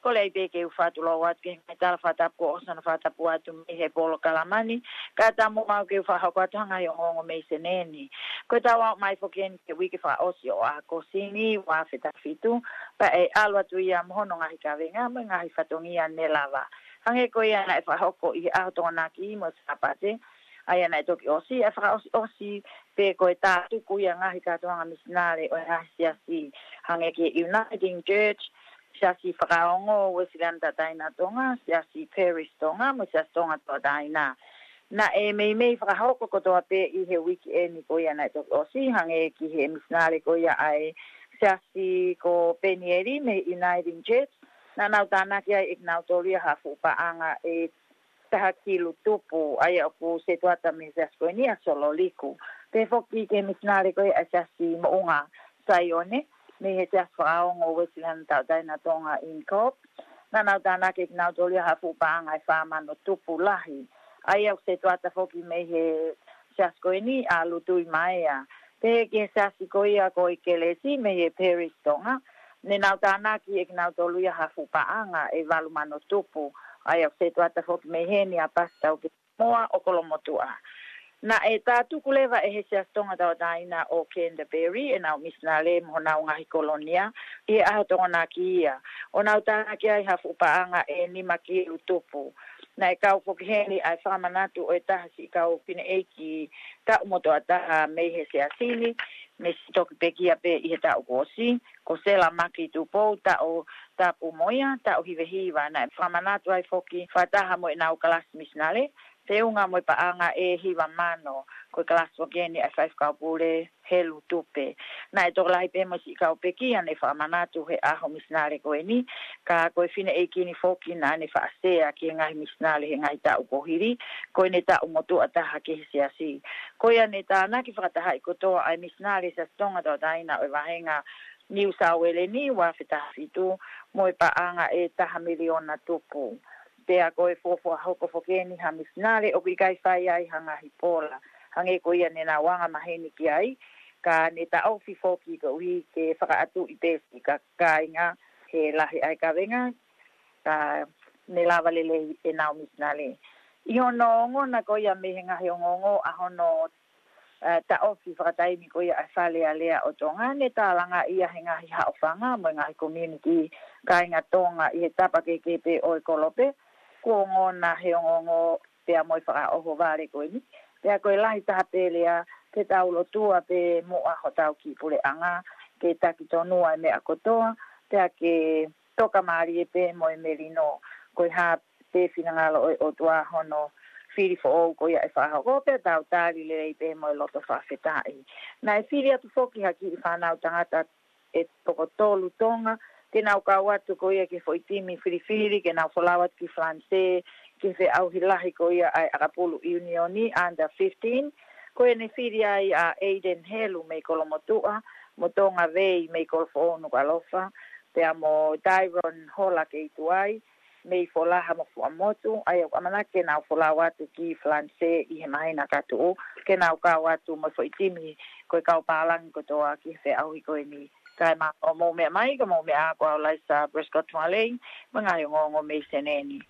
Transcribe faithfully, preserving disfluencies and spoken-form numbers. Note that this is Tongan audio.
Kole ai pē ke u fakatulou atu ki he ngaahi tala fakatapu kuo ʻosi hono fakatapu atu mei he polokalama ni, kae ʻatā moʻoku ke u fakahoko atu ha ngaahi ongoongo mei Senē ni. Ko ʻetau aʻu mai foki eni ki he uike fakaʻosi ʻo ʻAokosi ni, ua afe taha fitu, pea ʻe ʻalu atu ia mo hono ngaahi kavenga mo e ngaahi fatongia ne lava. Hangē ko ia naʻe fakahoko ʻi he ʻaho Tokonaki mo Sāpate, ʻa ia naʻe toki ʻosi, ʻa e fakaʻosiʻosi pē ko e tātuku ia ngaahi kātoanga misinale ʻo e ngaahi siasi, hangē ki he Uniting Church, Siasi Fakaongo Uēsiliana Tauʻatāina Tonga, Siasi Parish Tonga, mo Siasi Tonga Tauʻatāina. Naʻe meimei fakahoko kotoa pē ʻi he uike eni ko ia naʻe toki ʻosi, hangē ki he misinale ko ia ʻa e siasi ko Penieli mei he Uniting Church, naʻa nau tānaki ai ʻe kinautolu ia ha fuʻu paʻanga ʻe taha kilu tupu, ʻa ia ʻoku setuata mei he siasi ko eni ʻa Sololiku. Pehē foki ki he misinale ko ia ʻa e Siasi Moʻunga Saione, mei he Siasi Fakaongo Uēsiliana Tauʻatāina Tonga Incorp. Naʻa nau tānaki ʻe kinautolu ia ha fuʻu paʻanga ʻe fā mano tupu lahi. ʻA ia ʻoku setuata foki mei he siasi ko eni ʻa Lutui Maea. Pehē ki he siasi ko ia ko ʻEkelesi mei he Parish Tonga, ne nau tānaki ʻe kinautolu ia ha fuʻu paʻanga ʻe valu mano tupu, ʻa ia ʻoku setuata foki mei heni ʻa Pasitau Kemoa ʻo Kolomotuʻa. Naʻe tātuku leva ʻe he Siasi Tonga Tauʻatāina ʻo Canterbury ʻenau misinale mo honau ngaahi kolonia ʻi he ʻaho Tokonaki ia, ʻo nau tānaki ai ha fuʻu paʻanga ʻe nima kilu tupu. Naʻe kau foki heni ʻa e fakamanatu ʻo e taha siʻi kau fineʻeiki taʻu motuʻa taha mei he siasi ni, ne siʻi toki pekia pē ʻi he taʻu kuo ʻosi, ko Sela Maki Tupou, Taʻotapu mo ia, taʻu hiva hiva. Naʻe fakamanatu ai foki fakataha mo ʻenau kalasi misinale, feʻunga mo e paʻanga ʻe hiva mano, ko e kalasi foki eni ʻa e faifekau pule Helu Tupe. Naʻe tokolahi pē mo e siʻi kau pekia ne fakamanatu he ʻaho misinale ko eni, ka ko e fineʻeiki ni foki naʻa ne faʻa sea ki he ngaahi misinale he ngaahi taʻu kuo hili, ko ʻene taʻu motuʻa taha ki he siasi. Ko ia ne tānaki fakatahaʻi kotoa ʻa e misinale Siasi Tonga Tauʻatāina ʻo e vahenga Niu Sauele ni, ua afe taha fitu, mo e paʻanga ʻe taha miliona tupu. Pea ko e fuofua hoko foki eni ha misinale ʻoku ʻikai fai ai ha ngaahi pola, hangē ko ia ne nau anga maheni ki ai, ka ne taʻofi foki koeʻuhi ke fakaʻatuʻi pē siʻi ka-, kāinga he lahi ʻa e kavenga, ka ne lava lelei ʻenau misinale. ʻI hono ongona ko ia mei he ngaahi ongoongo ʻa hono, ē, taʻofi fakataimi ko ia ʻa e Fale Alea ʻo Tonga, ne tālangaʻi ia he ngaahi haʻofanga mo e ngaahi community kāinga Tonga ʻi he tapa kehekehe pē ʻo e kolope, kuo ongona he ongoongo pea mo e fakaʻohovale ko eni. Pea ko e lahi taha pē lea, ke tau lotua pē muʻa hotau kiʻi puleʻanga, ke taki tonu ʻa e meʻa kotoa, pea ke tokamālie pē mo e melino, ko e hā pē finangalo ʻo e ʻOtua hono fili foʻou ko ia ʻe fakahoko, pea tau tali lelei pē mo e loto fakafetaʻi. Naʻe fili atu foki ha kiʻi fānau tangata ʻe toko tolu Tonga, ke nau kau atu ko ia ki he foʻi timi filifili, ke nau folau atu ki Falanisē, ki he feʻauhi lahi ko ia ʻa e ʻakapulu ʻiunioni under fifteen, ko ia ne fili ai ʻa Aiden Helu mei Kolomotuʻa, mo Tonga Vei mei Kolofoʻou Nukuʻalofa, pea mo Tyron Hola Keituai, mei Folaha mo Fuaʻamotu, ʻa ia ʻoku ʻamanaki ke nau folau atu ki Falanisē ʻi he māhina ka tuʻu, ke nau kau atu mo e foʻi timi ko e kau pālangi kotoa ki he feʻauhi ko eni. Kae mālō hoʻomou meʻa mai, ko homou meʻa ko au Laisa Prescott Tualei, mo e ngaahi ongoongo mei Senē ni.